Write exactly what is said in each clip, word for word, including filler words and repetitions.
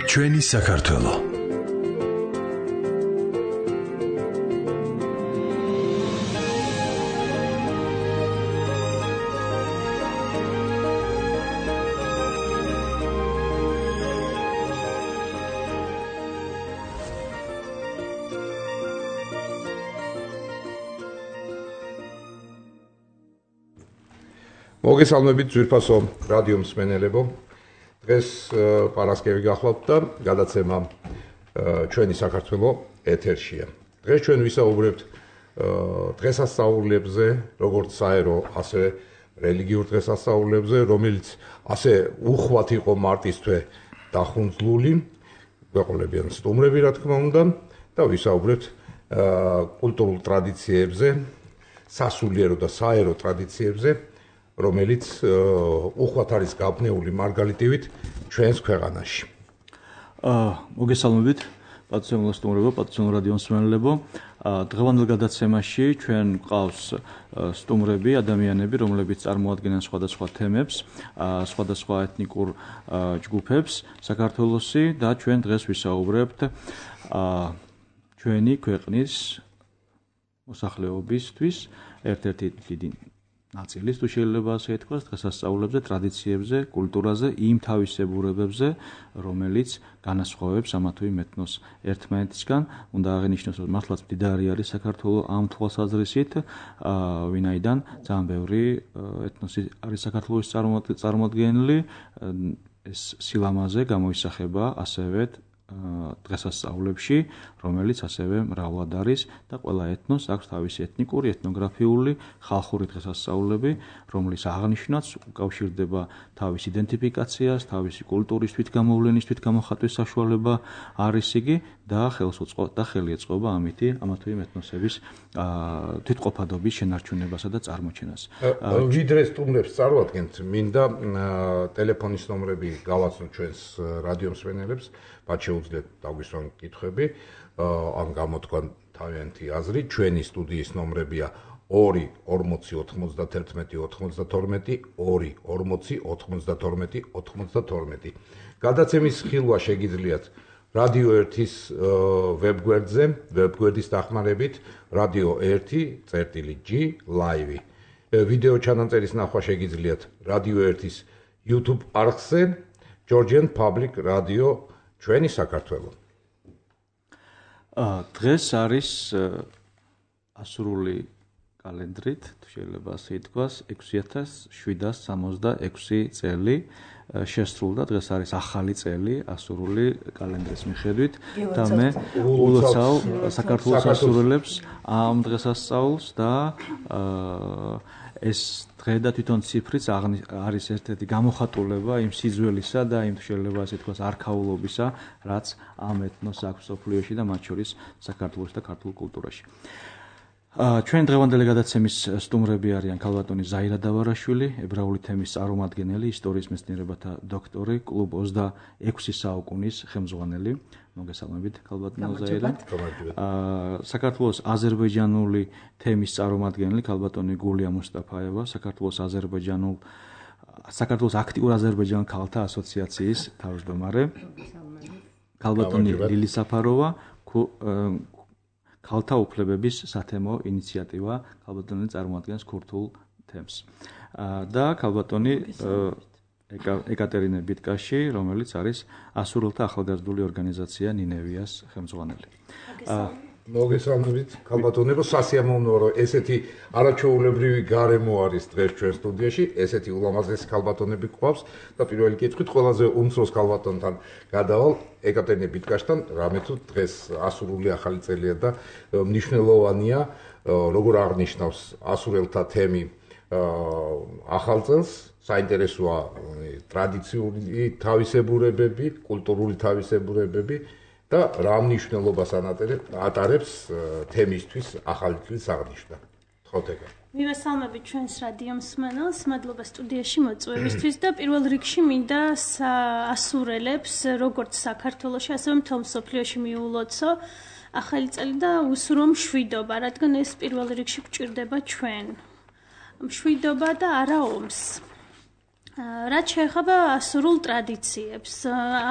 ჩვენი საქართველო. მოგესალმებით ძვირფასო რადიო მსმენელებო. დღეს პარასკევი გახლავთ და გადაცემა ჩვენი საქართველო ეთერშია. დღეს ჩვენ ვისაუბრებთ დღესასწაულებზე, როგორც საერო, ასევე რელიგიურ დღესასწაულებზე, რომელიც ასე უხვად იყო მარტის თვე დახუნძლული, გვეყოლებიან სტუმრები, რა თქმა უნდა, და ვისაუბრებთ კულტურულ ტრადიციებზე, სასულიერო და საერო ტრადიციებზე, რომელიც უხვად არის გაბნეული მარგალიტივით ჩვენს ქვეყანაში. მოგესალმებით, პატივისმცემლო სტუმრებო, პატივისმცემლო რადიო მსმენელებო. დღევანდელ გადაცემაში ჩვენ გვყავს სტუმრები, ადამიანები, რომლებიც წარმოადგენენ სხვადასხვა თემებს, სხვადასხვა ეთნიკურ ჯგუფებს საქართველოსი და ჩვენ დღეს ვისაუბრებთ ჩვენი ქვეყნის მოსახლეობისთვის ერთ-ერთი დიდი ნაწილის, თუ შეიძლება ასე ითქვას, დღესასწაულებზე, ტრადიციებზე, კულტურაზე, იმ თავისებურებებზე, რომელიც განასხვავებს ამა თუ იმ ეთნოს ერთმანეთისგან. უნდა აღინიშნოს, რომ მართლაც მდიდარი არის საქართველო ამ თვალსაზრისით, ვინაიდან ძალიან ბევრი ეთნოსი არის საქართველოს წარმოადგენელი. ეს სილამაზე გამოისახება ასევე დღესასწაულებში, რომელიც ასევე მრავლად არის და ყველა ეთნოს აქვს თავისი ეთნიკური, ეთნოგრაფიული, ხალხური დღესასწაულები, რომლის აღნიშვნაც უკავშირდება თავის იდენტიფიკაციას, თავისი კულტურის თვითგამოვლენის, თვითგამოხატვის საშუალება არის იგი და ხელს უწყობს და ხელი ეწყობა ამითი ამა თუ იმ ეთნოსების თვითყოფადობის შენარჩუნებასა და წარმოჩენას. ვიდრე სტუმრებს წარვადგენთ, მინდა ტელეფონის ნომრები გავაცნოთ ჩვენს რადიო მსმენელებს, მათ შეუძლიათ დაგვისვან კითხვები, ან გამოთქვან თავიანთი აზრი. ჩვენი სტუდიის ნომრებია ორი ორმოცი ოთხმოცდათერთმეტი ოცდათორმეტი, ორი ორმოცი ოთხმოცდათორმეტი ოცდათორმეტი. გადაცემის ხილვა შეგიძლიათ რადიო ერთის ვებგვერდზე, ვებგვერდის დახმარებით, რადიო ერთი წერტილი ჯი ლაივი. ვიდეო ჩანაწერის ნახვა შეგიძლიათ რადიო ერთის YouTube არხზე, Georgian Public Radio ჩვენი საქართველო. დღეს არის ასურული კალენდრით, თუ შეიძლება ასე ითქვას, ექვსი ათას შვიდას სამოცდაექვსი წელი შესრულდა. დღეს არის ახალი წელი ასურული კალენდრის მიხედვით და მე ულოცავ საქართველოს ასურელებს ამ დღესასწაულს და ეს დღე და თვითონ ციფრიც არის ერთ-ერთი გამოხატულება იმ სიძველისა და იმ შეიძლება ასე ითქვას არქაულობისა, რაც ამ ეთნოს აქვს მსოფლიოში და მათ შორის საქართველოს და ქართულ კულტურაში. ჩვენ დღევანდელი გადაცემის სტუმრები არიან ქალბატონი ზაირა დავარაშვილი, ებრაული თემის წარმომადგენელი, ისტორიის მეცნიერებათა დოქტორი, კლუბ ოცდაექვსი საუკუნის ხელმძღვანელი. მოგესალმებით, ქალბატონო ზაირა. საქართველოს აზერბაიჯანული თემის წარმომადგენელი, ქალბატონი გულია მუსტაფაევა, საქართველოს აზერბაიჯანულ საქართველოს აქტიურ აზერბაიჯანელ ქალთა ასოციაციის თავმჯდომარე. ქალბატონი ლილი საფაროვა, ქალთა უფლებების სათემო ინიციატივა, ქალბატონი წარმოადგენს ქურთულ თემს. და ქალბატონი ეკატერინე ბიტკაში, რომელიც არის ასურელთა ახალგაზრდული ორგანიზაცია ნინევიას ხელმძღვანელი. მოგესალმებით, ქალბატონებო, სასიამოვნოა, რომ ესეთი არაჩვეულებრივი გარემო არის დღეს ჩვენ სტუდიაში, ესეთი ულამაზესი ქალბატონები გვყავს და პირველი კითხვით ყველაზე უმცროს ქალბატონთან გადავალ ეკატერინე ბიტკაშთან, რამე თუ დღეს ასურული ახალი წელია და მნიშვნელოვანია, როგორ აღნიშნავს ასურელთა თემი ახალ წელს, საინტერესოა ტრადიციული თავისებურებები, კულტურული თავისებურებები და რა მნიშვნელობას ატარებს თემისთვის ახალი წლის აღნიშვნა. ხოთეკა. მივესალმებით ჩვენს რადიო მსმენელს, მადლობა სტუდიაში მოწვევისთვის და პირველ რიგში მინდა ასურელებს, როგორც საქართველოში, ასევე მთელ მსოფლიოში მიულოცო ახალი წელი და უსურო მშვიდობა, რადგან ეს პირველ რიგში გვჭირდება ჩვენ. მშვიდობა და არა ომს. რაც შეეხება ასურულ ტრადიციებს,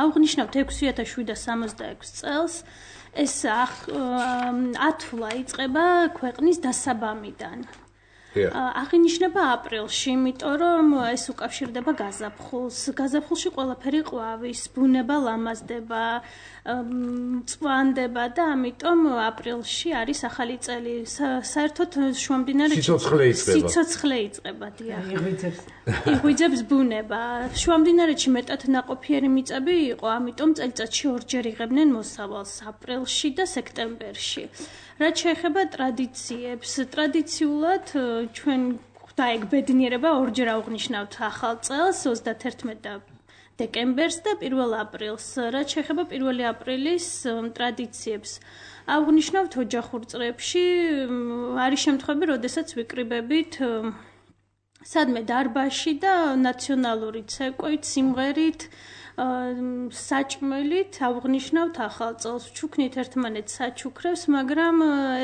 აღნიშნავთ ექვსი ათას შვიდსათ სამოცდაექვსი წელს, ეს ათვლა იწყება ქვეყნის დასაბამიდან. აღინიშნება აპრილში, იმიტომ რომ ეს უკავშირდება გაზაფხულს. გაზაფხულში ყველაფერი ყვავის, ბუნება ლამაზდება, წვანდება და ამიტომ აპრილში არის ახალი წელი. საერთოდ შუამდინარეთში სიცოცხლე იწყება. სიცოცხლე იწყება, დიახ. იღვიძებს. იღვიძებს ბუნება. შუამდინარეთში მეტად ნაყოფიერი მიწები იყო, ამიტომ წელიწადში ორჯერ იღებდნენ მოსავალს, აპრილში და სექტემბერში. რაც შეეხება ტრადიციებს, ტრადიციულად ჩვენ ღვთაეგ ბედნიერება ორჯერ აღნიშნავთ ახალ წელს, ოცდაათერთმეტი დეკემბერს და პირველ აპრილს. რაც შეეხება პირველი აპრილის ტრადიციებს, აღნიშნავთ ოჯახურ წრეებში, არის შემთხვევები, როდესაც ვიკრიბებით სადმე დარბაზში და ნაციონალური ცეკვით, სიმღერით, საჭმელით აღნიშნავთ ახალ წელს, ვჩუქნით ერთმანეთს საჩუქრებს, მაგრამ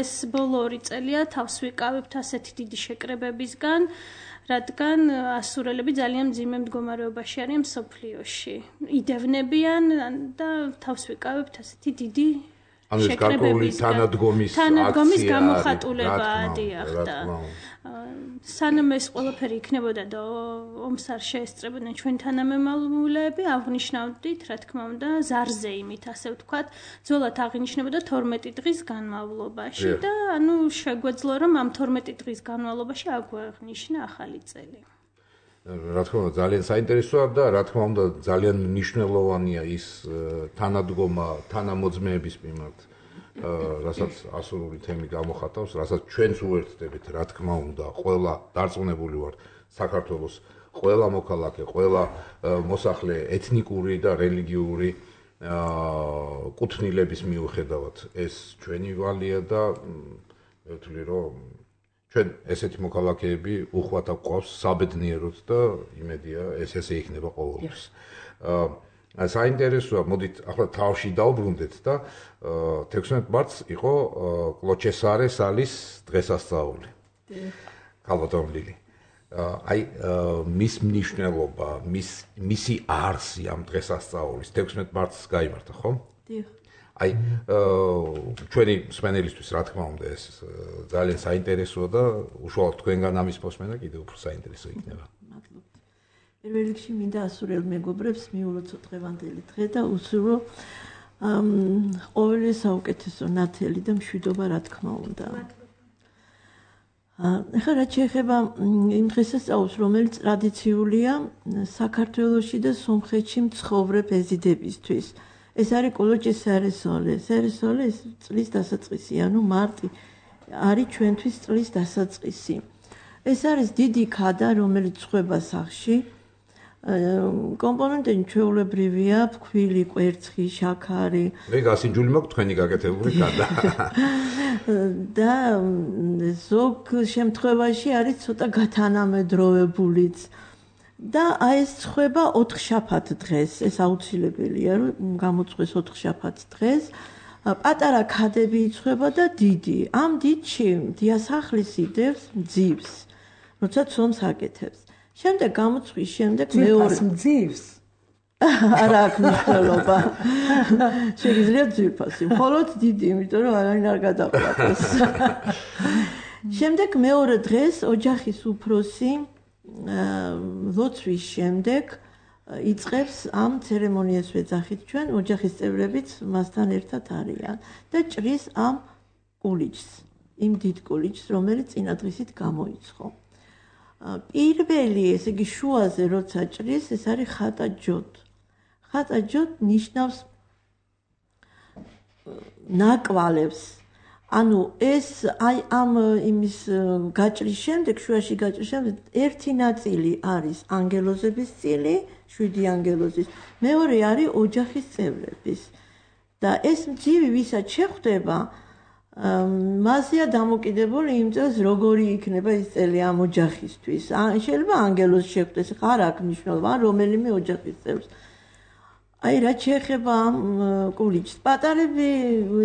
ეს ბოლო ორი წელია თავს ვიკავებთ ასეთი დიდი შეკრებებისგან, რადგან ასურელები ძალიან მძიმე მდგომარეობაში არიან მსოფლიოში. იდევნებიან და თავს ვიკავებთ ასეთი დიდი შეკრებებისგან. თანადგომის თანადგომის გამოხატულებაა, დიახ და სანამ ეს ყველაფერი იქნებოდა და ომს არ შეესწრებოდნენ ჩვენ თანამემამულეები, აღნიშნავდით, რა თქმა უნდა, ზარზეიმით, ასე ვთქვათ, ძველად აღინიშნებოდა თორმეტი დღის განმავლობაში და ანუ შეგვეძლო რომ ამ თორმეტი დღის განმავლობაში აგვეღნიშნა ახალი წელი. რა თქმა უნდა, ძალიან საინტერესოა და რა თქმა უნდა, ძალიან მნიშვნელოვანია ის თანადგომა თანამოძმეების მიმართ. რასაც ასურული თემი გამოხატავს, რასაც ჩვენც უერთდებით, რა თქმა უნდა, ყველა დარწმუნებული ვარ საქართველოს ყველა მოქალაქე, ყველა მოსახლე ეთნიკური და რელიგიური კუთვნილების მიუხედავად ეს ჩვენი ვალია და მე ვთვლი რომ ჩვენ ესეთი მოქალაქეები უხვად გვყავს საბედნიეროდ და იმედია ეს ესე იქნება ყოველთვის. საინტერესოა, მოდით ახლა თავში დავბრუნდეთ და თექვსმეტი მარტს იყო კლოჩესარე სალის დღესასწაული. ქალბატონლილი. აი მის მნიშვნელობა, მის მისი არსი ამ დღესასწაულის თექვსმეტი მარტს გაიმართა, ხო? დიახ. აი ჩვენი მსმენელისთვის რა თქმა უნდა ეს ძალიან საინტერესოა და უშუალოდ თქვენგან ამის მოსმენა კიდევ უფრო საინტერესო იქნება. პირველ რიგში მინდა ასურელ მეგობრებს მიულოცოთ დღევანდელი დღე და უსურვო ყოველი საუკეთესო ნათელი და მშვიდობა რა თქმა უნდა. ახლა რაც შეეხება იმ დღესასწაულს, რომელიც ტრადიციულია საქართველოში და სომხეთში მცხოვრებ ეზიდებისთვის. ეს არის კოლოჭის სარესოლე. სარესოლე ეს წლის დასაწყისი, ანუ მარტი არის ჩვენთვის წლის დასაწყისი. ეს არის დიდი ქადა, რომელიც ხვება სახლში. კომპონენტები ჩვეულებრივია, ფქვილი, კვერცხი, შაქარი. მე გასინჯული მაქვს თქვენი გაკეთებული ქადა. და ზოგ შემთხვევაში არის ცოტა გათანამედროვებულიც. და აი ეს ხვება ოთხშაბათ დღეს, ეს აუცილებელია, რომ გამოწყვეს ოთხშაბათ დღეს. პატარა ქადები იწვება და დიდი. ამ დიდში დიასახლის იდევს მძივს, როცა ცომს აკეთებს. შემდეგ გამოწვის შემდეგ მეორე მძივს. არა აქვს მნიშვნელობა. შეიძლება ძვირფასი, მხოლოდ დიდი, იმიტომ რომ არაინ არ გადაყვატოს. შემდეგ მეორე დღეს ოჯახის უფროსი ლოცვის შემდეგ იწყებს ამ ცერემონიას ვეძახით ჩვენ, ოჯახის წევრებიც მასთან ერთად არიან და ჭრის ამ კულიჩს, იმ დიდ კულიჩს, რომელიც წინა დღისით გამოიცხო. პირველი, ესე იგი შუაზე როცა ჭრის, ეს არის ხატა ჯოდ. ხატა ჯოდ ნიშნავს ნაკვალებს. ანუ ეს აი ამ იმის გაჭრის შემდეგ, შუაში გაჭრის შემდეგ ერთი ნაწილი არის ანგელოზების წილი, შვიდი ანგელოზის, მეორე არის ოჯახის წევრების. და ეს მძივი ვისაც შეხვდება, მასია დამოკიდებული იმ წელს როგორი იქნება ის წელი ამ ოჯახისთვის. შეიძლება ანგელოზს შეხვდეს, ხარ აქვს მნიშვნელობა, რომელიმე ოჯახის წევრს. აი რა შეეხება ამ კულიჩს პატარები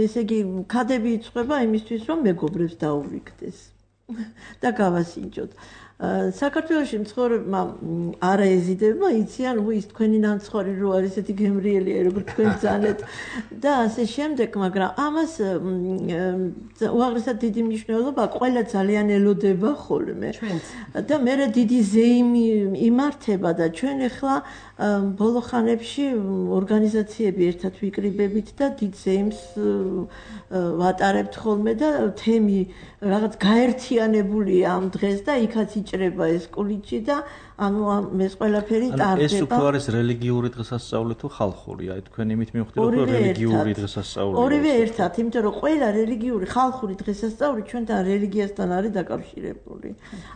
ესე იგი ქადები იწყვება იმისთვის რომ მეგობრებს დაურიგდეს და გავასინჯოთ საქართველოში მცხოვრებმა არა ეზიდებმა იციან ნუ ის თქვენი ნამცხვარი რო არის ესეთი გემრიელია როგორც თქვენ ძანეთ და ასე შემდეგ მაგრამ ამას უაღრესად დიდი მნიშვნელობა ყველა ძალიან ელოდება ხოლმე და მე დიდი ზეიმი იმართება და ჩვენ ახლა ბოლო ხანებში ორგანიზაციები ერთად ვიკრიბებით და დიდ ზეიმს ვატარებთ ხოლმე და თემი რაღაც გაერთიანებულია ამ დღეს და იქაც იჭრება ეს კულიჩი და ანუ ეს ყველაფერი ტარდება. ეს უფრო არის რელიგიური დღესასწაული თუ ხალხური? აი თქვენ იმით მივხვდით რომ რელიგიური დღესასწაულია. ორივე ერთად, იმიტომ რომ ყველა რელიგიური ხალხური დღესასწაული ჩვენთან რელიგიასთან არის დაკავშირებული.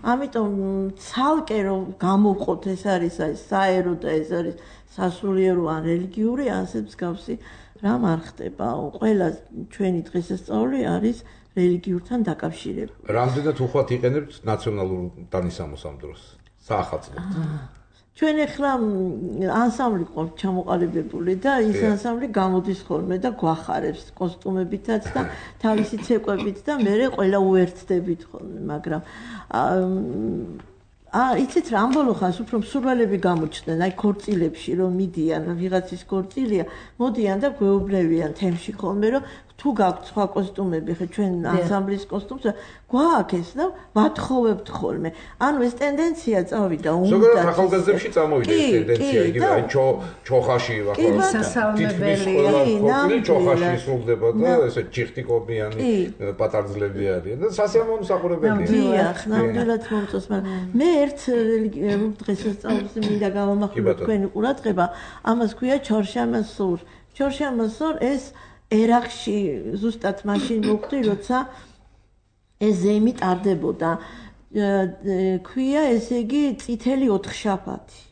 ამიტომ ცალკე რომ გამოვყოთ ეს არის აი საერო და ეს არის სასულიერო ან რელიგიური ასე მსგავსი რამ არ ხდება. ყველა ჩვენი დღესასწაული არის რელიგიურთან დაკავშირებული. რამდენად უხვად იყენებთ ნაციონალურ დანისამოს ამ დროს? საახალწლოდ. ჩვენ ახლა ანსამბლი ყავთ ჩამოყალიბებული და ის ანსამბლი გამოდის ხოლმე და გვახარებს კოსტუმებითაც და თავისი ცეკვებით და მე ყველა უერთდებით ხოლმე, მაგრამ აა იცით რა ამ ბოლო ხანს უფრო მსურველები გამოჩნდნენ აი ქორწილებში რომ მიდიან ვიღაცის ქორწილია მოდიან და გვეუბნებიან თემში ხოლმე რომ თუ გაქვთ სხვა კოსტუმები ხე ჩვენ ანსამბლის კოსტუმს გვაქვს და ვათხოვებთ ხოლმე ანუ ეს ტენდენცია წავიდა უნდა ზოგადად ახალგაზრდებში წამოვიდა ეს ტენდენცია იგივე აი ჩოხაში ვახალ ჩოხაში სრულდება და ესე ჩიხტიკობიანი პატარძლები არიან და სასიამოვნო მსახურებელია დიახ ნამდვილად მომწონს მაგრამ მე ერთ დღესასწაულს მინდა გავამახვილო თქვენი ყურადღება ამას ქვია ჩორშამასურ ჩორშამასურ ეს ერაყში ზუსტად მაშინ მოხდი როცა ეს ზეიმი ტარდებოდა ქვია ესე იგი წითელი ოთხშაბათი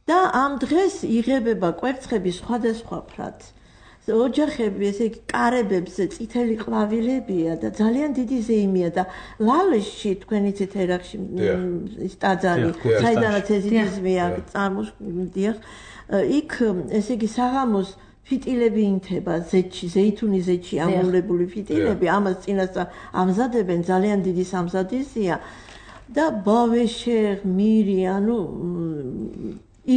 და ამ დღეს იღებება კვერცხები სხვადასხვა ფრად ოჯახები ესე იგი კარებებზე წითელი ყვავილებია და ძალიან დიდი ზეიმია და ლალეში თქვენ იცით ერაყში ის ტაძარი საიდანაც ეზიდიზმია წარმოსდიახ იქ ესე იგი საღამოს ფიტილები ინთება ზეთში, ზეითუნის ზეთში ამოვლებული ფიტილები, ამას წინასწარ ამზადებენ ძალიან დიდი სამზადისია და ბავეშე მირი, ანუ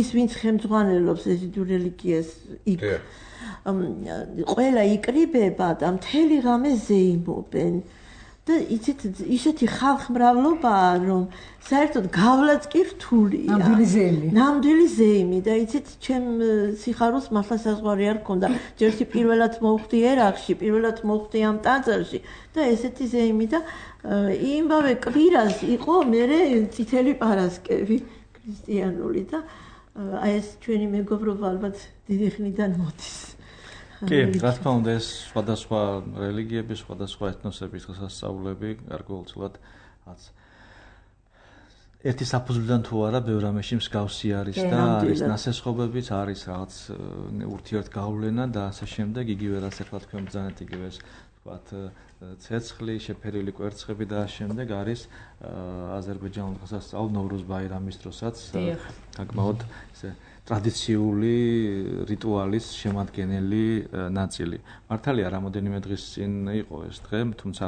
ის ვინც ხელმძღვანელობს ეზიდურ რელიგიას იქ ყველა იკრიბება და მთელი ღამე ზეიმობენ და იცით ისეთი ხალხმრავლობაა რომ საერთოდ გავლაც კი რთულია ნამდვილი ზეიმი ნამდვილი ზეიმი და იცით ჩემ სიხარულს მართლა საზღვარი არ ქონდა ჯერში პირველად მოვხდი ერაყში პირველად მოვხდი ამ ტაძარში და ესეთი ზეიმი და იმავე კვირას იყო მერე წითელი პარასკევი ქრისტიანული და აი ეს ჩვენი მეგობრობა ალბათ დიდი ხნიდან მოდის კი, რა თქმა უნდა, ეს სხვადასხვა რელიგიების, სხვადასხვა ეთნოსების დღესასწაულები გარკვეულწილად რაც ერთი საფუძვლიდან თუ არა, ბევრ რამეში მსგავსი არის და არის ნასესხობებიც, არის რაღაც ურთიერთგავლენა და ასე შემდეგ, იგივე რაც ახლა თქვენ ბრძანეთ იგივე ეს ვთქვათ ცეცხლი, შეფერილი კვერცხები და ამ შემდეგ არის აზერბაიჯანულ დღესასწაულ ნოვრუზ ბაირამის დროსაც გაგმაოდ ესე ტრადიციული რიტუალის შემადგენელი ნაწილი. მართალია, რამოდენიმე დღის წინ იყო ეს დღე, თუმცა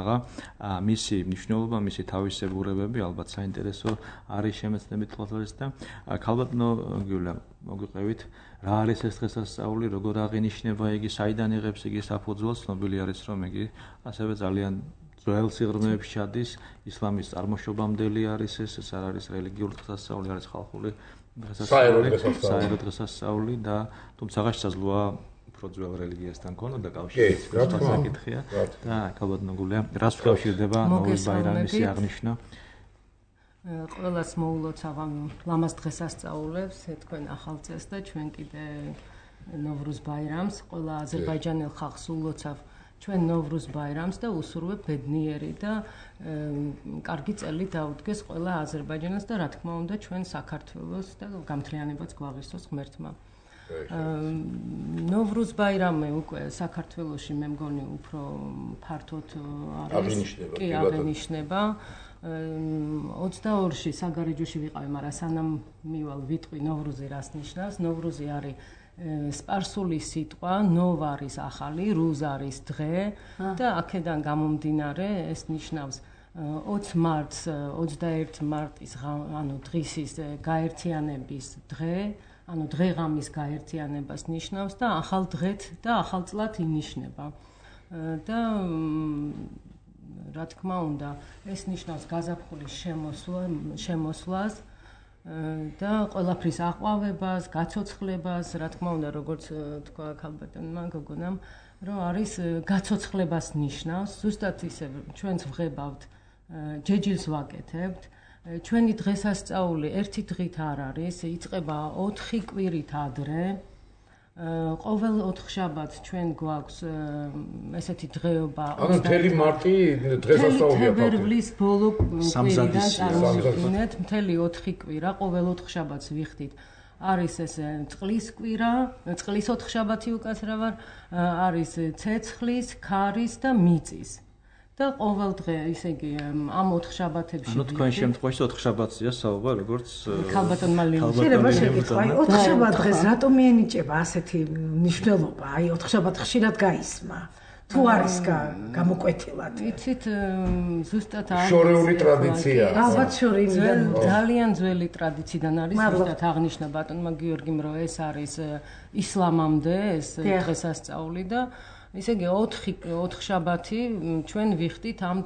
მისი მნიშვნელობა, მისი თავისებურებები ალბათ საინტერესო არის შემეცნებით თვალსაჩინო და ქალბატონო გიულა, მოგვიყევით, რა არის ეს დღესასწაული, როგორ აღინიშნება იგი, საიდან იღებს იგი საფუძველს, ცნობილი არის, რომ იგი ასევე ძალიან ძველ სიღრმეებში ჩადის, ისლამის წარმოშობამდელი არის ეს, ეს არ არის რელიგიური დღესასწაული, არის ხალხური საერო დღესასწაული და თუმცა შესაძლოა უფრო ძველ რელიგიასთან ქონოდა კავშირი. რა თქმა უნდა. და ქალბატონო გულია, რას ვკავშირდება ნოვრუზ ბაირამის აღნიშვნა? ყველას მოულოცავ ამ ლამაზ დღესასწაულებს, თქვენ ახალ წელს და ჩვენ კიდე ნოვრუზ ბაირამს, ყველა აზერბაიჯანელ ხალხს ულოცავ ჩვენ ნოვრუზ ბაირამს და უსურვებ ბედნიერი და კარგი წელი დაუდგეს ყველა აზერბაიჯანელს და რა თქმა უნდა ჩვენ საქართველოს და გამთლიანებაც გვაღისოს ღმერთმა. ნოვრუზ ბაირამი უკვე საქართველოში მე მგონი უფრო ფართოდ არის კი აღენიშნება. ოცდაორში საგარეჯოში ვიყავი, მაგრამ სანამ მივალ ვიტყვი ნოვრუზი რას ნიშნავს. ნოვრუზი არის სპარსული სიტყვა ნოვ არის ახალი, რუზ არის დღე და აქედან გამომდინარე ეს ნიშნავს ოცი მარტს, ოცდაერთი მარტის ანუ დღისის გაერთიანების დღე, ანუ დღეღამის გაერთიანებას ნიშნავს და ახალ დღეთ და ახალ წლად ინიშნება. და რა თქმა უნდა, ეს ნიშნავს გაზაფხულის შემოსვლა, შემოსვლას და ყველაფრის აყვავებას, გაცოცხლებას, რა თქმა უნდა, როგორც თქვა ქალბატონმა გოგონამ, რომ არის გაცოცხლებას ნიშნავს, ზუსტად ისე ჩვენც ვღებავთ ჯეჯილს ვაკეთებთ. ჩვენი დღესასწაული ერთი დღით არ არის, იწყება ოთხი კვირით ადრე. ყოველ ოთხშაბათს ჩვენ გვაქვს ესეთი დღეობა. ანუ მთელი მარტი დღესასწაულია. თებერვლის ბოლო კვირიდან წარმოვიდგინეთ, მთელი ოთხი კვირა, ყოველ ოთხშაბათს ვიხდით. არის ეს წყლის კვირა, წყლის ოთხშაბათი უკაცრავად, არის ცეცხლის, ქარის და მიწის. და ყოველ დღე, ისე იგი, ამ ოთხშაბათებში. ანუ თქვენ შემთხვევაში ოთხშაბათია საუბარ, როგორც ქალბატონმა ლინჩი. შეიძლება შეგიტყვა, აი ოთხშაბათ დღეს რატომ მიენიჭება ასეთი მნიშვნელობა? აი ოთხშაბათ ხშირად გაისმა. თუ არის გამოკვეთილად. იცით, ზუსტად არის შორეული ტრადიცია. ალბათ შორეულიდან ძალიან ძველი ტრადიციიდან არის ზუსტად აღნიშნა ბატონმა გიორგიმ, რომ ეს არის ისლამამდე ეს დღესასწაული და ისე იგი ოთხი ოთხშაბათი ჩვენ ვიხდით ამ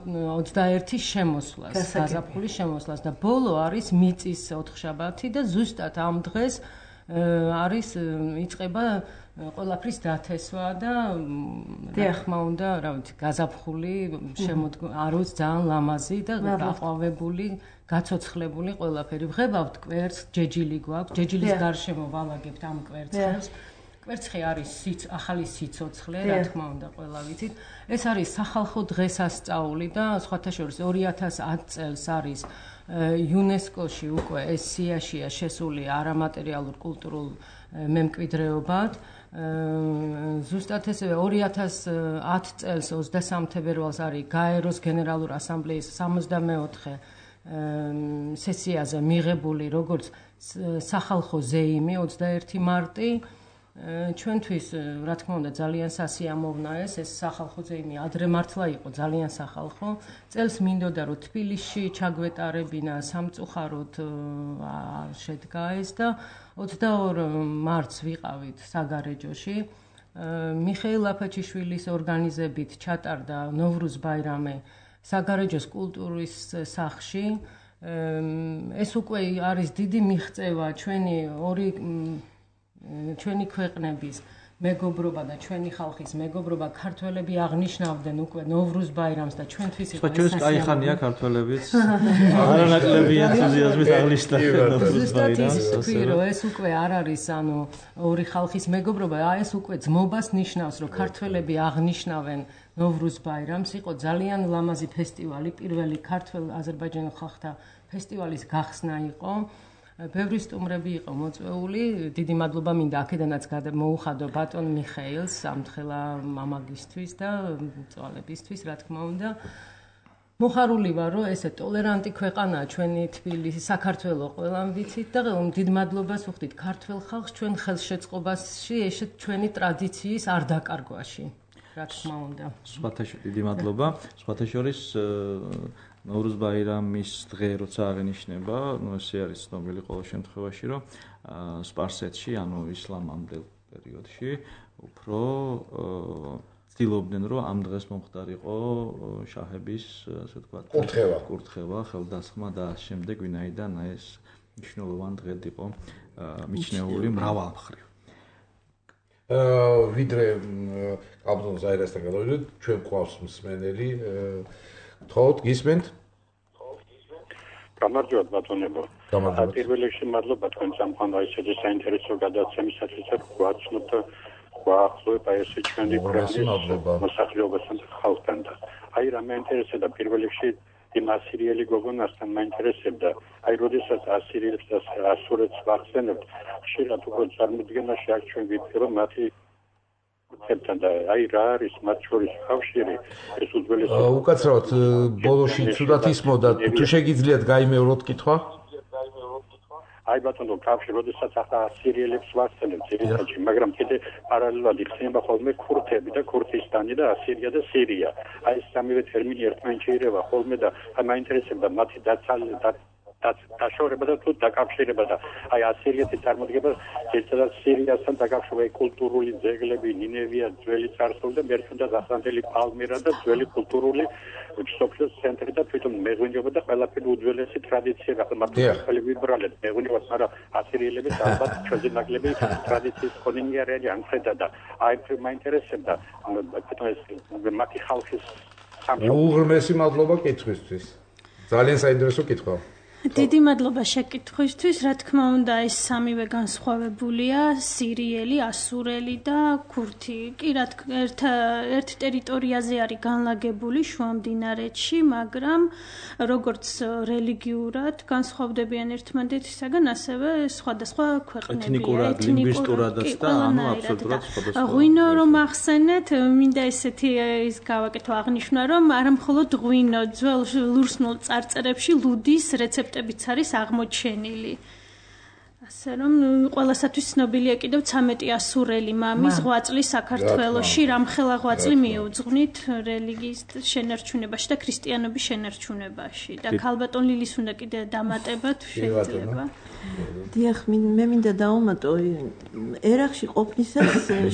ოცდაერთის შემოსვლას, გაზაფხულის შემოსვლას და ბოლო არის მიწის ოთხშაბათი და ზუსტად ამ დღეს არის იწყება ყველაფრის დათესვა და რა თქმა უნდა, რა ვიცი, გაზაფხული არის ძალიან ლამაზი და გაყვავებული, გაცოცხლებული ყველაფერი. ვღებავთ კვერცხს, ჯეჯილი გვაქვს, ჯეჯილის გარშემო ვალაგებთ ამ კვერცხებს. კვერცხი არის ახალი სიცოცხლე, რა თქმა უნდა, ყველა ვიცით. ეს არის სახალხო დღესასწაული და სხვათა შორის ორი ათას ათი წელს არის იუნესკოში უკვე ეს სიაშია შესული არამატერიალურ კულტურულ მემკვიდრეობად. ზუსტად ესევე ორი ათას ათი წელს ოცდასამი თებერვალს არის გაეროს გენერალური ასამბლეის სამოცდამეოთხე სესიაზე მიღებული როგორც სახალხო ზეიმი ოცდაერთი მარტი. ჩვენთვის, რა თქმა უნდა, ძალიან სასიამოვნა ეს ეს სახალხო ზეიმი ადრე მართლა იყო ძალიან სახალხო. წელს მინდოდა რომ თბილისში ჩაგვეტარებინა სამწუხაროდ შედგა ეს და ოცდაორი მარტს ვიყავით საგარეჯოში. მიხეილ აფაჩიშვილის ორგანიზებით ჩატარდა ნოვრუზ ბაირამი საგარეჯოს კულტურის სახლში. ეს უკვე არის დიდი მიღწევა ჩვენი ორი ჩვენი ქვეყნების მეგობრობა და ჩვენი ხალხის მეგობრობა. ქართველები აღნიშნავდნენ უკვე ნოვრუზ ბაირამს და ჩვენთვის იყო ეს ჩვენს კაი ხანია ქართველებიც არანაკლები ენთუზიაზმით აღნიშნა ნოვრუზ ბაირამს. ეს უკვე არ არის ანუ ორი ხალხის მეგობრობა, ეს უკვე ძმობას ნიშნავს, რომ ქართველები აღნიშნავენ ნოვრუზ ბაირამს. იყო ძალიან ლამაზი ფესტივალი, პირველი ქართველ აზერბაიჯანელ ხალხთა ფესტივალის გახსნა იყო. ბევრი სტუმრები იყო მოწვეული. დიდი მადლობა მინდა აქედანაც მოუხადო ბატონ მიხეილს ამთხელა მამაგისთვის და მწვალებისთვის, რა თქმა უნდა. მოხარული ვარ, რომ ესე ტოლერანტი ქვეყანაა ჩვენი თბილისი, საქართველო ყველამ ვიცით და დიდ მადლობას ვუხდით ქართველ ხალხს ჩვენ ხელშეწყობაში ესეთ ჩვენი ტრადიციის არ დაკარგვაში, რა თქმა უნდა. სხვათა შორის დიდი მადლობა. სხვათა შორის ნოვრუზ ბაირამის დღე როცა აღინიშნება, ნუ ესე არის ცნობილი ყოველ შემთხვევაში, რომ სპარსეთში, ანუ ისლამამდელ პერიოდში, უფრო ცდილობდნენ, რომ ამ დღეს მომხდარიყო შაჰების, ასე ვთქვათ, კურთხევა, კურთხევა, ხელდასხმა და ამ შემდეგ, ვინაიდან ეს მნიშვნელოვანი დღედ იყო მიჩნეული მრავალ მხრივ. ვიდრე კაბზონ ზაირასთან გადავიდეთ, ჩვენ გვყავს მსმენელი. თოთ გისმენთ? გამარჯობათ ბატონებო. პირველ რიგში მადლობა თქვენ სამყარო ისეთი საინტერესო გადაცემისათვის გვაცნობთ გვაახლოება ესე ჩვენი ქვეყნის მოსახლეობასთან და ხალხთან. აი რა მეინტერესებდა პირველ რიგში იმ ასირიელი გოგონასთან მეინტერესებდა. აი როდესაც ასირიელს და ასურეთს ვახსენებთ, ხშირად უკვე წარმოდგენაში აქ ჩვენ ვიტყვი რომ მათი თან და აი რა არის მათ შორის ხავშირი ეს უძველესი უკაცრავად ბოლოში ცუდად ისმოდა თუ შეგიძლიათ გაიმეოროთ კითხვა აი ბატონო კავშირი როდესაც ახლა ასირიელებს ვასწავლებ ძირითადად მაგრამ კიდე პარალელურად იხსნება ხოლმე ქურთები და ქურთისტანი და ასირია და სირია აი ეს სამივე ტერმინი ერთმანეთში ირევა ხოლმე და აი მაინტერესებდა მათი დაცალება დაშორება და თუ დაკავშირება და აი ასირიეთის წარმოდგება ერთადაც სირიასთან დაკავშირებული კულტურული ძეგლები ნინევია ძველი წარსული და მერჩუნდა დასანდელი პალმირა და ძველი კულტურული სოფლის ცენტრი და თვითონ მეღვინეობა და ყველაფერი უძველესი ტრადიციები ახლა მართალი ვიბრალეთ მეღვინეობას მაგრამ ასირიელების ალბათ ჩვენი ნაკლები ტრადიციის კონინგი არის ამხედა და აი მაინტერესებდა თვითონ ეს მათი ხალხის უღრმესი მადლობა კითხვისთვის ძალიან საინტერესო კითხვა დიდი მადლობა შეკითხვისთვის. რა თქმა უნდა, ეს სამივე განსხვავებულია, სირიელი, ასურელი და ქურთი. კი, რა თქმა ერთ ერთ ტერიტორიაზე არის განლაგებული შუამდინარეთში, მაგრამ როგორც რელიგიურად განსხვავდებიან ერთმანეთისაგან, ასევე სხვადასხვა ქვეყნებია. ეთნიკურად, ლინგვისტურადაც და ანუ აბსოლუტურად სხვადასხვა. ღვინო რომ ახსენეთ, მინდა ესეთი ის გავაკეთო აღნიშნა, რომ არა მხოლოდ ღვინო, ძველ ლურსმულ წარწერებში ლუდის რეცეპტი ებიც არის აღმოჩენილი. ასე რომ ყველასათვის ცნობილია კიდევ ცამეტი ასურელი მამის ღვაწლი საქართველოში, რამხელა ღვაწლი მიუძღვნით რელიგიის შენარჩუნებაში და ქრისტიანობის შენარჩუნებაში. და ქალბატონ ლილის უნდა კიდე დამატებათ შეიძლება. დიახ, მე მინდა დავუმატო, ერაყში ყოფნისას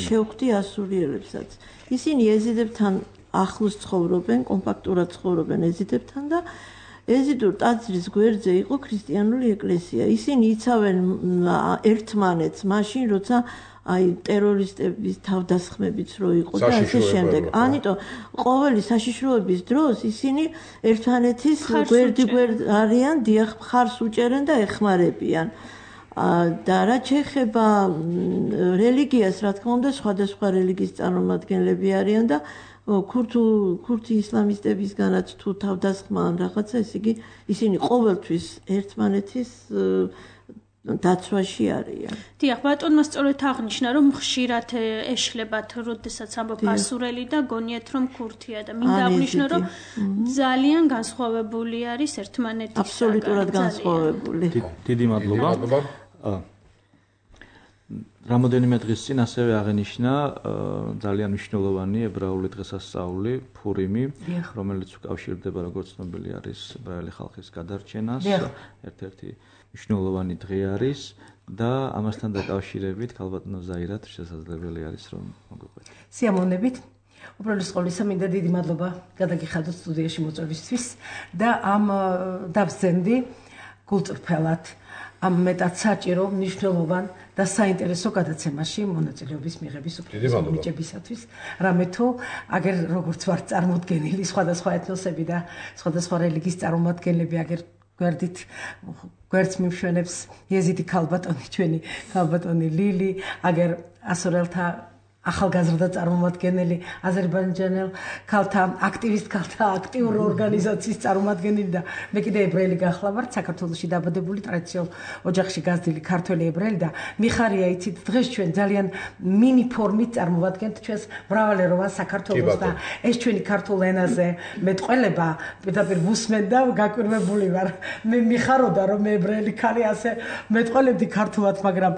შევხვდი ასურიელებსაც. ისინი ეზიდებთან ახლოს ცხოვრობენ, კომპაქტურად ცხოვრობენ ეზიდებთან და ეზიდურ ტაძრის გვერდზე იყო ქრისტიანული ეკლესია. ისინი იცავენ ერთმანეთს მაშინ, როცა აი ტერორისტების თავდასხმებიც რო იყო და ასე შემდეგ. ამიტომ ყოველი საშიშროების დროს ისინი ერთმანეთის გვერდი გვერდ არიან, დიახ, მხარს უჭერენ და ეხმარებიან. და რაც შეეხება რელიგიას, რა თქმა უნდა, სხვადასხვა რელიგიის წარმომადგენლები არიან და ქურთულ ქურთი ისლამისტებისგანაც თუ თავდასხმა ან რაღაცა, ესე იგი ისინი ყოველთვის ერთმანეთის დაცვაში არიან. დიახ, ბატონმა სწორედ აღნიშნა, რომ ხშირად ეშლებათ, როდესაც ამბობ ასურელი და გონიათ, რომ ქურთია და მინდა აღნიშნო, რომ ძალიან განსხვავებული არის ერთმანეთისგან. აბსოლუტურად განსხვავებული. დიდი მადლობა. რამოდენიმე დღის წინ ასევე აღენიშნა ძალიან მნიშვნელოვანი ებრაული დღესასწაული ფურიმი, რომელიც უკავშირდება, როგორც ცნობილი არის, ებრაელი ხალხის გადარჩენას. ერთ-ერთი მნიშვნელოვანი დღე არის და ამასთან დაკავშირებით ქალბატონო ზაირათ შესაძლებელი არის რომ მოგვიყვეთ. სიამოვნებით. უბრალოდ სკოლისა მინდა დიდი მადლობა გადაგიხადოთ სტუდიაში მოწვევისთვის და ამ დავსცენდი გულწრფელად ამ მეტად საჭირო, მნიშვნელოვან და საინტერესო გადაცემაში მონაწილეობის მიღების უფლება მიჭებისათვის. რამე თუ აგერ როგორც ვარ წარმოდგენილი სხვადასხვა ეთნოსები და სხვადასხვა რელიგიის წარმომადგენლები აგერ გვერდით გვერდს მიმშვენებს იეზიდი ქალბატონი, ჩვენი ქალბატონი ლილი, აგერ ასურელთა ახალგაზრდა წარმომადგენელი, აზერბაიჯანელ ქალთა აქტივისტ ქალთა აქტიური ორგანიზაციის წარმომადგენელი და მე კიდე ებრაელი გახლავართ, საქართველოში დაბადებული ტრადიციულ ოჯახში გაზრდილი ქართველი ებრაელი და მიხარია იცით, დღეს ჩვენ ძალიან მინი ფორმით წარმოვადგენთ ჩვენს მრავალეროვან საქართველოს და ეს ჩვენი ქართულ ენაზე მეტყველება პირდაპირ ვუსმენ და გაკვირვებული ვარ. მე მიხაროდა რომ მე ებრაელი ქალი ასე მეტყველებდი ქართულად, მაგრამ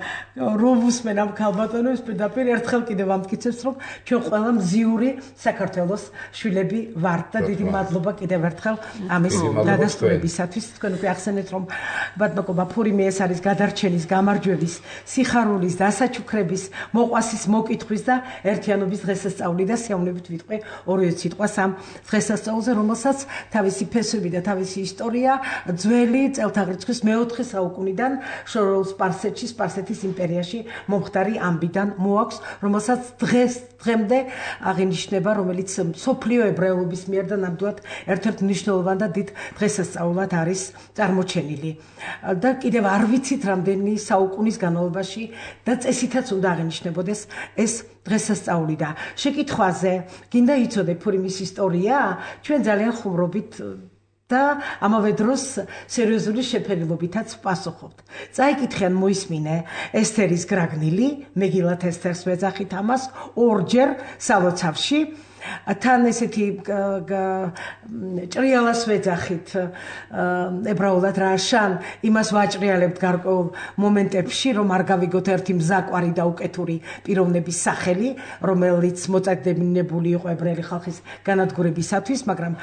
რომ ვუსმენ ამ ქალბატონებს პირდაპირ ერთხელ კიდევ ამტკიცებს, რომ ჩვენ ყველა მზიური საქართველოს შვილები ვართ და დიდი მადლობა კიდევ ერთხელ ამის დადასტურებისათვის. თქვენ უკვე ახსენეთ, რომ ბატონობა ფურიმი ეს არის გადარჩენის, გამარჯვების, სიხარულის, დასაჩუქრების, მოყვასის, მოკითხვის და ერთიანობის დღესასწაული და სიამოვნებით ვიტყვი ორივე სიტყვას ამ დღესასწაულზე, რომელსაც თავისი ფესვები და თავისი ისტორია ძველი წელთაღრიცხვის მეოთხე საუკუნიდან შორეულ სპარსეთში, სპარსეთის იმპერიაში მომხდარი ამბიდან მოაქვს, რომელსაც დღეს დღემდე აღინიშნება, რომელიც სოფლიო ებრაელობის მიერ და ნამდვილად ერთ-ერთ მნიშვნელოვან და დიდ დღესასწაულად არის წარმოჩენილი. და კიდევ არ ვიცით რამდენი საუკუნის განმავლობაში და წესითაც უნდა აღინიშნებოდეს ეს დღესასწაული და შეკითხვაზე, გინდა იცოდე ფურიმის ისტორია? ჩვენ ძალიან ხუმრობით და ამავე დროს სერიოზული შეფერილობითაც ვპასუხობთ. წაიკითხიან მოისმინე ესთერის გრაგნილი, მეგილათ ესთერს ვეძახით ამას ორჯერ სალოცავში თან ესეთი ჭრიალას ვეძახით ებრაულად რა შან იმას ვაჭრიალებთ გარკვეულ მომენტებში რომ არ გავიგოთ ერთი მზაკვარი და უკეთური პიროვნების სახელი რომელიც მოწაგდებინებული იყო ებრაელი ხალხის განადგურებისათვის მაგრამ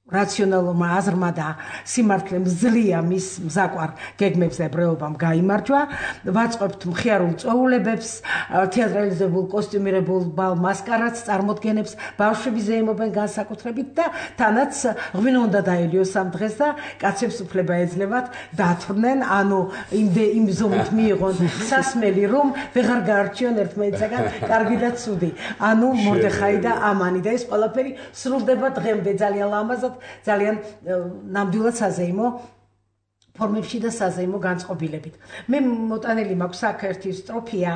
რაციონალურმა აზრმა და სიმართლემ ძლია მის მზაკვარ გეგმებს და ებრაელობამ გაიმარჯვა ვაწყობთ მხიარულ წვეულებებს თეატრალიზებულ კოსტიუმირებულ ბალ მასკარადს წარმოდგენებს ბავშვები ზეიმობენ განსაკუთრებით და თანაც ღვინო უნდა დაელიოს ამ დღეს და კაცებს უფლება ეძლევათ დათვრნენ ანუ იმ ზომით მიიღონ სასმელი რომ ვეღარ გაარჩიონ ერთმანეთსაგან კარგი და ცუდი ანუ მორდეხაი და ამანი და ეს ყველაფერი სრულდება დღემდე ძალიან ლამაზად ძალიან ნამდვილად საზეიმო ფორმებში და საზეიმო განწყობილებით. მე მოტანილი მაქვს აქ ერთი სტროფია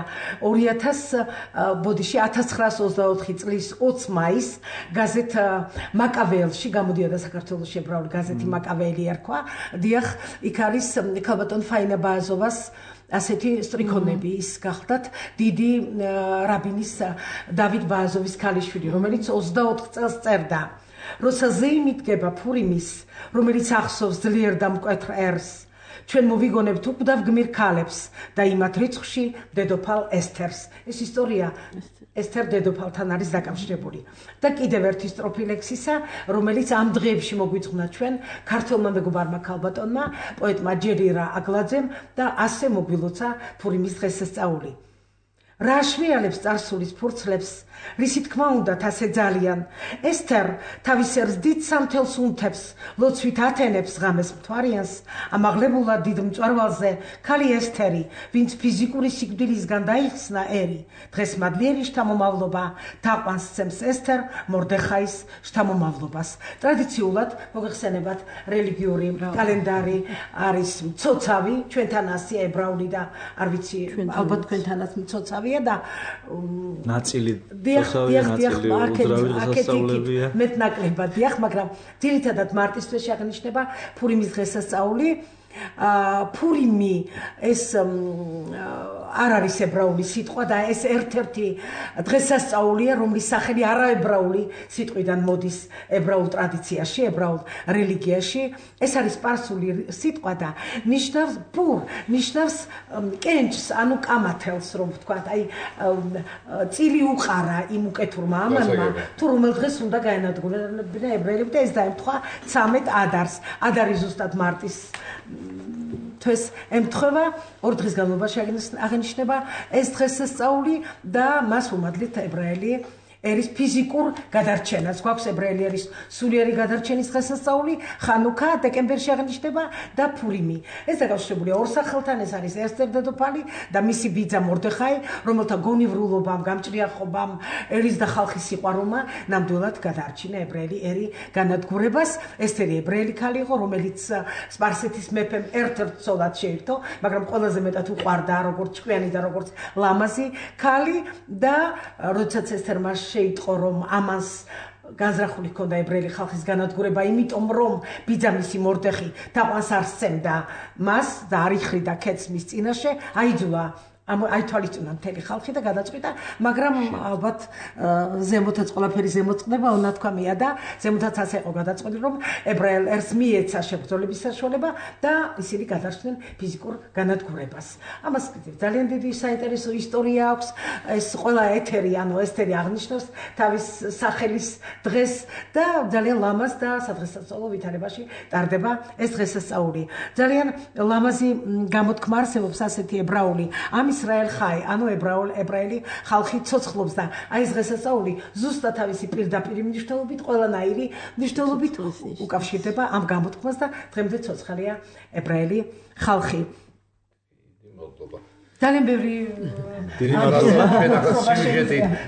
ორი ათას ბოდიში ათას ცხრაას ოცდაოთხი წლის ოცი მაისს გაზეთ მაკავეელში გამოდიოდა საქართველოს ებრაული გაზეთი მაკავეელი ერქვა. დიახ, იქ არის ქალბატონ ფაინა ბააზოვას ასეთი სტრიქონები ის გახლდათ დიდი რაბინის დავით ბააზოვის ქალიშვილი, რომელიც ოცდაოთხ წელს წერდა. როცა ზეიმი დგება ფურიმის, რომელიც ახსოვს ძლიერ და მკვეთრ ერს, ჩვენ მოვიგონებთ უკვდავ გმირ ქალებს და იმათ რიცხვში დედოფალ ესთერს. ეს ისტორია ესთერ დედოფალთან არის დაკავშირებული. და კიდევ ერთი სტროფი ლექსისა, რომელიც ამ დღეებში მოგვიწყნა ჩვენ ქართველმა მეგობარმა ქალბატონმა, პოეტმა ჯერირა აგლაძემ და ასე მოგვილოცა ფურიმის დღესასწაული. რა აშრიალებს წარსულის ფურცლებს, რისი თქმა უნდათ ასე ძალიან. ესთერ თავის ერს დიდ სამთელს უნთებს, ლოცვით ათენებს ღამეს მთვარიანს, ამაღლებულად დიდ მწვერვალზე ქალი ესთერი, ვინც ფიზიკური სიკვდილისგან დაიხსნა ერი. დღეს მადლიერი შთამომავლობა თაყვანს სცემს ესთერ მორდეხაის შთამომავლობას. ტრადიციულად მოგეხსენებათ რელიგიური კალენდარი არის მცოცავი, ჩვენთან ასია ებრაული და არ ვიცი ალბათ თქვენთანაც მცოცავია და ნაწილი დიახ, დიახ, დიახ, აქეთ მეტ ნაკლებად, დიახ, მაგრამ ძირითადად მარტის თვეში აღნიშნება ფურიმის დღესასწაული. ფურიმი ეს არ არის ებრაული სიტყვა და ეს ერთ-ერთი დღესასწაულია, რომლის სახელი არაებრაული სიტყვიდან მოდის ებრაულ ტრადიციაში, ებრაულ რელიგიაში. ეს არის სპარსული სიტყვა და ნიშნავს პურ, ნიშნავს კენჭს, ანუ კამათელს, რომ ვთქვათ, აი წილი უყარა იმ უკეთურმა ამანმა, თუ რომელ დღეს უნდა გაენადგურებინა ებრაელები და ეს დაემთხვა ცამეტ ადარს. ადარი ზუსტად მარტის თვეს ემთხვევა, ორ დღის განმავლობაში აღინიშნება ეს დღესასწაული და მას უმადლით ებრაელი ერის ფიზიკურ გადარჩენას. გვაქვს ებრაელი ერის სულიერი გადარჩენის დღესასწაული, ხანუქა დეკემბერში აღნიშნება და ფურიმი. ეს დაკავშირებულია ორ სახელთან, ეს არის ესთერ დედოფალი და მისი ბიძა მორდეხაი, რომელთა გონივრულობამ, გამჭრიახობამ, ერის და ხალხის სიყვარულმა ნამდვილად გადაარჩინა ებრაელი ერი განადგურებას. ესთერი ებრაელი ქალი იყო, რომელიც სპარსეთის მეფემ ერთ-ერთ ცოლად შეირთო, მაგრამ ყველაზე მეტად უყვარდა როგორც ჭკვიანი და როგორც ლამაზი ქალი და როდესაც ესთერმა შეიტყო რომ ამას განზრახული ჰქონდა ებრაელი ხალხის განადგურება, იმიტომ რომ ბიძამისი მორდეხი თაყვანს არ სცემდა მას და არ იხრიდა ქეთს მის წინაშე, აიძულა აითვალისწინა მთელი ხალხი და გადაწყვიტა, მაგრამ ალბათ ზემოთაც ყველაფერი ზემოწყდება, უნათქვამია და ზემოთაც ასე იყო გადაწყვეტილი, რომ ებრაელ ერს მიეცა შებრძოლების საშუალება და ისინი გადარჩნენ ფიზიკურ განადგურებას. ამას ძალიან დიდი საინტერესო ისტორია აქვს. ეს ყველა ეთერი, ანუ ესთერი აღნიშნავს თავის სახელის დღეს და ძალიან ლამაზ და სადღესასწაულო ვითარებაში ტარდება ეს დღესასწაული. ძალიან ლამაზი გამოთქმა არსებობს ასეთი ებრაული ამ ისრაელ ხაი, ანუ ებრაელი ხალხი ცოცხლობს და აი ეს დღესასწაული ზუსტად თავისი პირდაპირი მნიშვნელობით, ყველანაირი მნიშვნელობით უკავშირდება ამ გამოთქმას და დღემდე ცოცხალია ებრაელი ხალხი. ძალიან ბევრი დიდი მადლობა.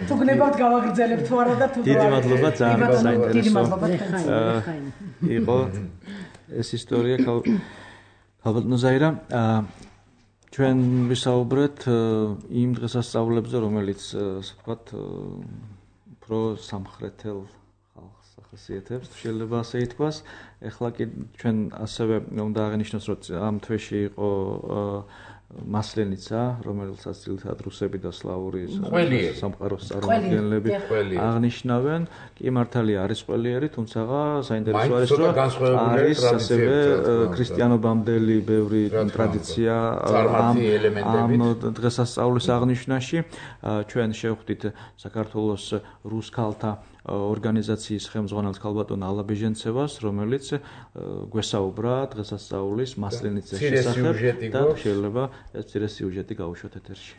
თუ გნებავთ გავაგრძელებ თუ არა და თუ დიდი მადლობა, ძალიან საინტერესო. დიდი მადლობა. იყო ეს ისტორია ქალბატონო ზაირა. ჩვენ ვისაუბრეთ იმ დღესასწაულებზე, რომელიც ასე ვთქვათ, უფრო სამხრეთელ ხალხს ახასიათებს, შეიძლება ასე ითქვას. ეხლა კი ჩვენ ასევე უნდა აღინიშნოს, რომ ამ თვეში იყო მასლენიცა, რომელსაც ძირითადად რუსები და სლავური სამყაროს წარმომადგენლები აღნიშნავენ. კი მართალია არის ყველიერი, თუმცა საინტერესო არის, რომ არის ასევე ქრისტიანობამდელი ბევრი ტრადიცია ამ დღესასწაულის აღნიშვნაში. ჩვენ შევხვდით საქართველოს რუს ქალთა ორგანიზაციის ხელმძღვანელს ქალბატონ ალა ბეჟენცევას, რომელიც გვესაუბრა დღესასწაულის მასლენიცის შესახებ და შეიძლება ეს მცირე სიუჟეტი გავუშვათ ეთერში.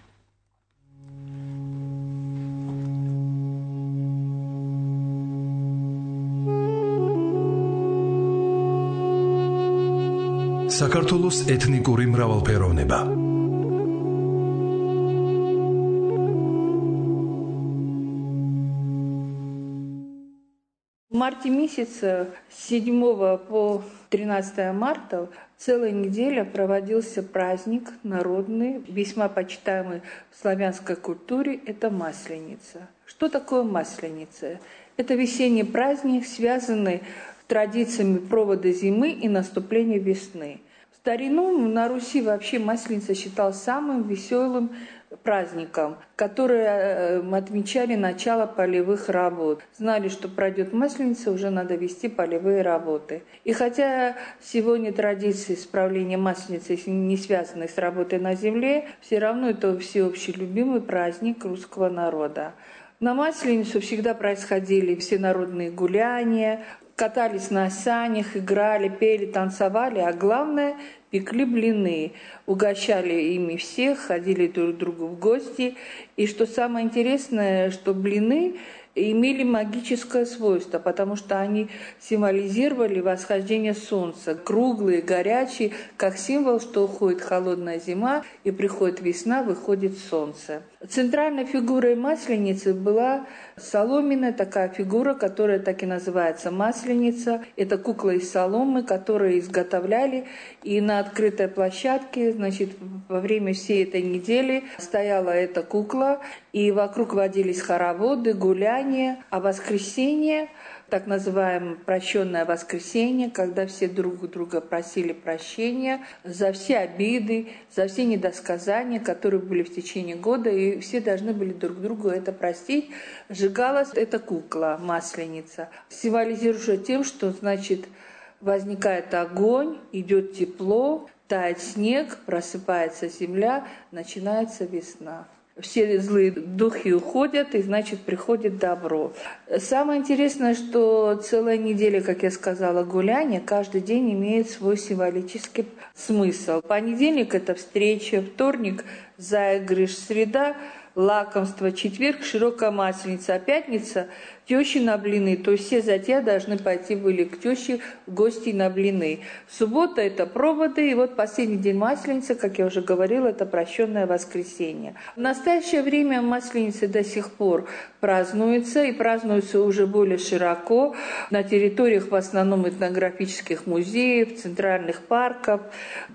საქართველოს ეთნიკური მრავალფეროვნება. В марте месяце с седьмого по тринадцатое марта целая неделя проводился праздник народный, весьма почитаемый в славянской культуре, это Масленица. Что такое Масленица? Это весенний праздник, связанный с традициями провода зимы и наступления весны. В старину на Руси вообще Масленица считалась самым веселым праздником, которые отмечали начало полевых работ. Знали, что пройдет Масленица, уже надо вести полевые работы. И хотя сегодня традиции справления Масленицы не связаны с работой на земле, все равно это всеобщий любимый праздник русского народа. На Масленицу всегда происходили всенародные гуляния, катались на санях, играли, пели, танцевали, а главное – пекли блины, угощали ими всех, ходили друг к другу в гости. И что самое интересное, что блины имели магическое свойство, потому что они символизировали восхождение солнца. Круглые, горячие, как символ, что уходит холодная зима и приходит весна, выходит солнце. Центральной фигурой Масленицы была соломенная такая фигура, которая так и называется Масленица. Это кукла из соломы, которую изготовляли. И на открытой площадке, значит, во время всей этой недели стояла эта кукла, и вокруг водились хороводы, гуляния, а воскресенье, так называемое прощенное воскресенье, когда все друг у друга просили прощения за все обиды, за все недосказания, которые были в течение года, и все должны были друг другу это простить. Сжигалась эта кукла, Масленица, символизируя тем, что, значит, возникает огонь, идет тепло, тает снег, просыпается земля, начинается весна. Все злые духи уходят, и, значит, приходит добро. Самое интересное, что целая неделя, как я сказала, гуляния, каждый день имеет свой символический смысл. Понедельник – это встреча, вторник – заигрыш, среда – лакомство, четверг – широкая масленица, а пятница – тещи на блины, то есть все затея должны пойти были к теще в гости на блины. Суббота – это проводы, и вот последний день Масленицы, как я уже говорила, это прощенное воскресенье. В настоящее время Масленицы до сих пор празднуется, и празднуется уже более широко на территориях в основном этнографических музеев, центральных парков,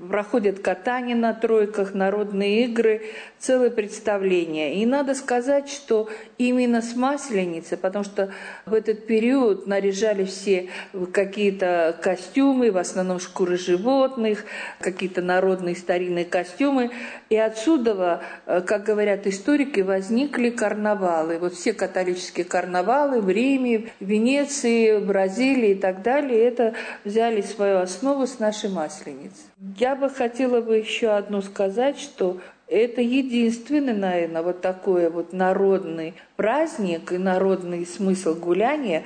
проходят катания на тройках, народные игры, целые представления. И надо сказать, что именно с Масленицей, потому что в этот период наряжали все какие-то костюмы, в основном шкуры животных, какие-то народные старинные костюмы. И отсюда, как говорят историки, возникли карнавалы. Вот все католические карнавалы в Риме, в Венеции, в Бразилии и так далее, это взяли свою основу с нашей Масленицы. Я бы хотела бы еще одно сказать, что это единственный, наверное, вот такой вот народный праздник и народный смысл гуляния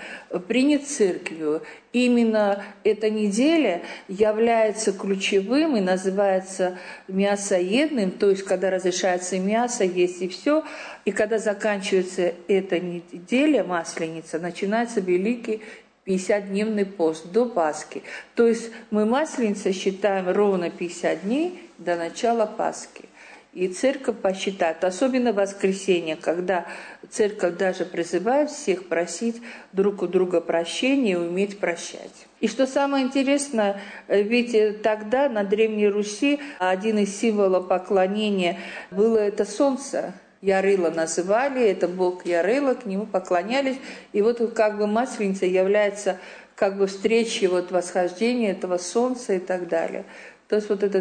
принят церковью. Именно эта неделя является ключевым и называется мясоедным, то есть когда разрешается мясо есть и все, и когда заканчивается эта неделя, Масленица, начинается великий пятидесятидневный пост до Пасхи. То есть мы Масленицей считаем ровно пятьдесят дней до начала Пасхи. И церковь посчитает, особенно в воскресенье, когда церковь даже призывает всех просить друг у друга прощения и уметь прощать. И что самое интересное, ведь тогда на Древней Руси один из символов поклонения было это солнце. Ярыла называли, это бог Ярыла, к нему поклонялись. И вот как бы Масленица является как бы встречей вот восхождения этого солнца и так далее. То есть вот это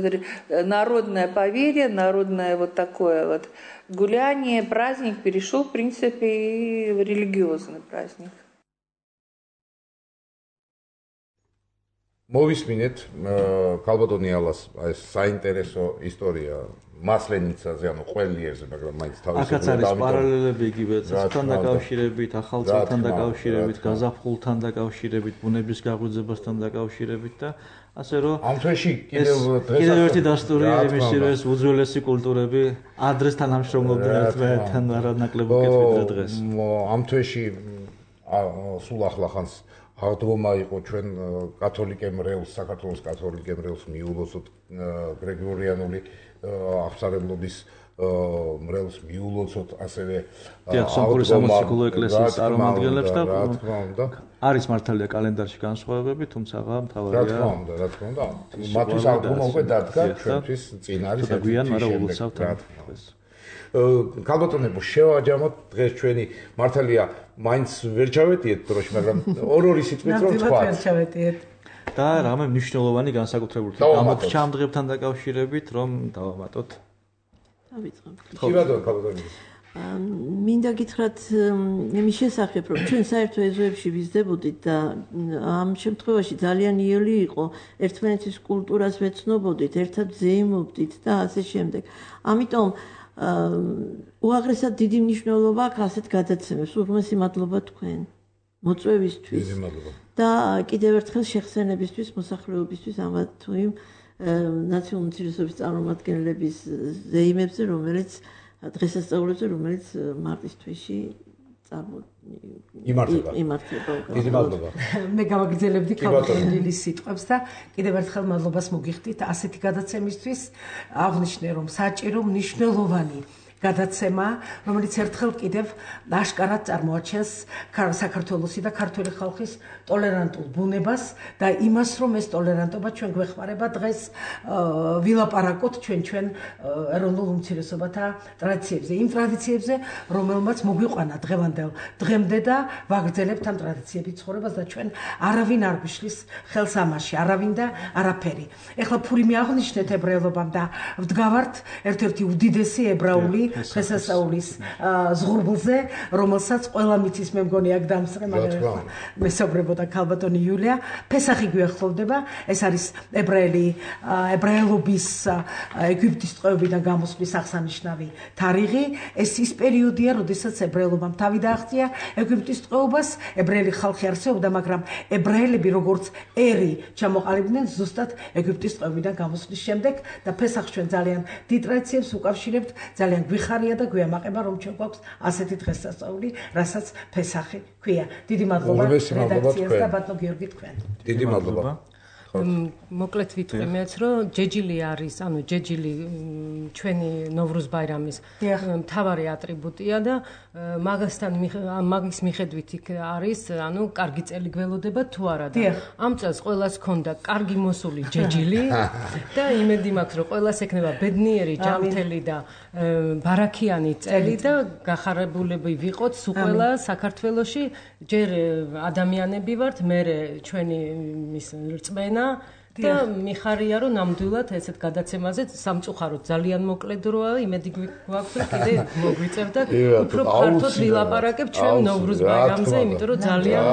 народное поверье, народное вот такое вот гуляние, праздник перешел, в принципе, и в религиозный праздник. მოვისმინეთ ქალბატონიალას ეს საინტერესო ისტორია მასლენიცაზე, ანუ ყველიერზე, მაგრამ მაინც თავის აქაც არის პარალელები იგივე წესთან დაკავშირებით, ახალ წელთან დაკავშირებით, გაზაფხულთან დაკავშირებით, ბუნების გაღვიძებასთან დაკავშირებით და ასე რომ ამ თვეში კიდევ კიდევ ერთი დასტურია იმისი, რომ ეს უძველესი კულტურები ადრეს თანამშრომლობდნენ ერთმანეთთან არანაკლებ უკეთ ვიდრე დღეს. ამ თვეში სულ ახლახანს აღდგომა იყო ჩვენ კათოლიკ ემრეულს, საქართველოს კათოლიკ ემრეულს მიულოცოთ გრეგორიანული აღსარებლობის მრევლს მიულოცოთ ასევე აღდგომა სამოციქულო ეკლესიის წარმომადგენლებს და არის მართალია კალენდარში განსხვავებები, თუმცა მთავარია რა თქმა უნდა, რა თქმა უნდა. მათთვის აღდგომა უკვე დადგა, ჩვენთვის წინ არის და გვიან, მაგრამ ულოცავთ დღეს. ქალბატონებო, შევაჯამოთ დღეს ჩვენი მართალია მაინც ვერ ჩავეტიეთ დროში, მაგრამ ორ-ორი სიტყვით რომ თქვა. ვერ ჩავეტიეთ. და რამე მნიშვნელოვანი განსაკუთრებული გამოჩა ამ დღებთან დაკავშირებით, რომ დავამატოთ. დავიწყებ. კი ბატონო, ქალბატონო. მინდა გითხრათ იმის შესახებ, რომ ჩვენ საერთო ეზოებში ვიზრდებოდით და ამ შემთხვევაში ძალიან იოლი იყო ერთმანეთის კულტურას ვეცნობოდით, ერთად ზეიმობდით და ასე შემდეგ. ამიტომ უაღრესად დიდი მნიშვნელობა აქვს ასეთ გადაცემებს. უღმესი მადლობა თქვენ მოწვევისთვის და კიდევ ერთხელ შეხსენებისთვის, მოსახლეობისთვის ამა თუ იმ ნაციონალური უმცირესობის წარმომადგენლების ზეიმებზე, რომელიც დღესასწაულებზე, რომელიც მარტის თვეში იმართება. იმართება. დიდი მადლობა. მე გავაგრძელებდი ქალბატონის სიტყვებს და კიდევ ერთხელ მადლობას მოგიხდით ასეთი გადაცემისთვის. აღნიშნე რომ საჭირო მნიშვნელოვანი გადაცემა, რომელიც ერთხელ კიდევ აშკარად წარმოაჩენს საქართველოსი და ქართული ხალხის ტოლერანტულ ბუნებას და იმას, რომ ეს ტოლერანტობა ჩვენ გვეხმარება დღეს ვილაპარაკოთ ჩვენ ჩვენ ეროვნულ უმცირესობათა ტრადიციებზე, იმ ტრადიციებზე, რომელმაც მოგვიყვანა დღევანდელ დღემდე და ვაგრძელებთ ამ ტრადიციებით ცხოვრებას და ჩვენ არავინ არ გვიშლის ხელს ამაში, არავინ და არაფერი. ეხლა ფურიმი აღნიშნეთ ებრაელობამ და ვდგავართ ერთ-ერთი უდიდესი ებრაული დღესასწაულის ზღურბლზე, რომელსაც ყველა მიცის, მე მგონი აქ დამსწრე, მაგრამ მესაუბრებოდა ქალბატონი იულია, ფესახი გვიახლოვდება, ეს არის ებრაელი ებრაელობის ეგვიპტის ტყვეობიდან გამოსვლის აღსანიშნავი თარიღი, ეს ის პერიოდია, როდესაც ებრაელობამ თავი დააღწია ეგვიპტის ტყვეობას, ებრაელი ხალხი არსებობდა, მაგრამ ებრაელები როგორც ერი ჩამოყალიბდნენ ზუსტად ეგვიპტის ტყვეობიდან გამოსვლის შემდეგ და ფესახს ჩვენ ძალიან დიდ ტრადიციებს უკავშირებთ, ძალიან გვიხარია და გვიამაყება, რომ ჩვენ გვაქვს ასეთი დღესასწაული, რასაც ფესახი ქვია. დიდი მადლობა რედაქციას და ბატონო გიორგი თქვენ. დიდი მადლობა. მოკლედ ვიტყვი მეც, რომ ჯეჯილი არის, ანუ ჯეჯილი ჩვენი ნოვრუზ ბაირამის მთავარი ატრიბუტია და მაგასთან მაგის მიხედვით იქ არის, ანუ კარგი წელი გველოდება თუ არა და ამ წელს ყველას ჰქონდა კარგი მოსული ჯეჯილი და იმედი მაქვს, რომ ყველას ექნება ბედნიერი, ჯანმრთელი და ბარაქიანი წელი და გახარებულები ვიყოთ სულ ყველა საქართველოში, ჯერ ადამიანები ვართ, მე ჩვენი მის რწმენა და მიხარია რომ ნამდვილად ესეთ გადაცემაზე სამწუხაროდ ძალიან მოკლე დროა, იმედი გვაქვს რომ კიდე მოგვიწევ და უფრო ფართოდ ვილაპარაკებ ჩვენ ნოვრუზ ბაირამზე, იმიტომ რომ ძალიან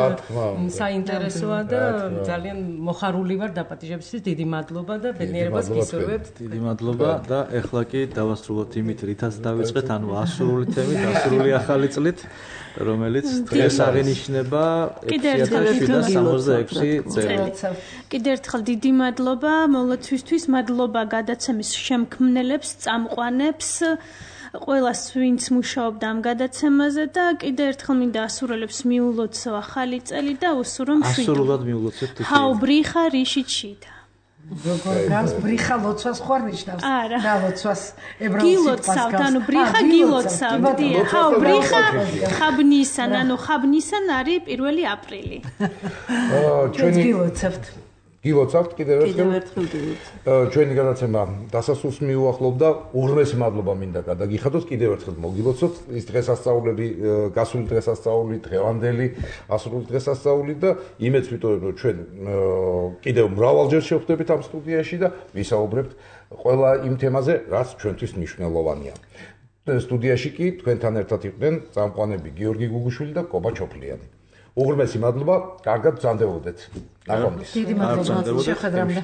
საინტერესოა და ძალიან მოხარული ვარ დაპატიჟებისთვის. დიდი მადლობა და ბედნიერებას გისურვებთ. დიდი მადლობა და ეხლა კი დავასრულოთ იმით, რითაც დავიწყეთ, ანუ ასურული თემით, ასურული ახალი წლით, რომელიც დღეს აღინიშნება ექვსი ათას შვიდსათ სამოცდაექვსი წელი. კიდევ ერთხელ დიდი მადლობა მოლოცვისთვის, მადლობა გადაცემის შემქმნელებს, წამყვანებს, ყველას ვინც მუშაობდა ამ გადაცემაზე და კიდევ ერთხელ მინდა ასურელებს მიულოცო ახალი წელი და უსურვო მშვიდობა. ასურულად მიულოცეთ თვითონ. ჰაუ ბრიხა რიშიჩიტა. როგორ გავს ბრიხა ლოცვას ხوار ნიშნავს და ლოცვას ებრაულ სიტყვას გილოცავთ, ანუ ბრიხა გილოცავთ, დიახ, ჰაუ ბრიხა ხაბნისან, ანუ ხაბნისან არის პირველი აპრილი. ჩვენ გილოცავთ. გილოცავთ კიდევ ერთხელ. კიდევ ერთხელ დილით. ჩვენი გადაცემა დასასრულს მიუახლოვდა. უღრმესი მადლობა მინდა გადაგიხადოთ, კიდევ ერთხელ მოგილოცოთ ის დღესასწაულები, გასული დღესასწაული, დღევანდელი ასრული დღესასწაული და იმედს ვიტოვებ, რომ ჩვენ კიდევ მრავალჯერ შევხვდებით ამ სტუდიაში და ვისაუბრებთ ყველა იმ თემაზე, რაც ჩვენთვის მნიშვნელოვანია. სტუდიაში კი თქვენთან ერთად იყვნენ წამყვანები გიორგი გუგუშვილი და კობა ჩოფლიანი. უღრმესი მადლობა, კარგად ბრძანდებოდეთ. ნაყოფის. დიდი მადლობა შეხვედრამდე.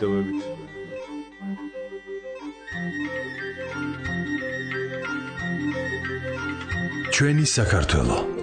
ჩვენი საქართველო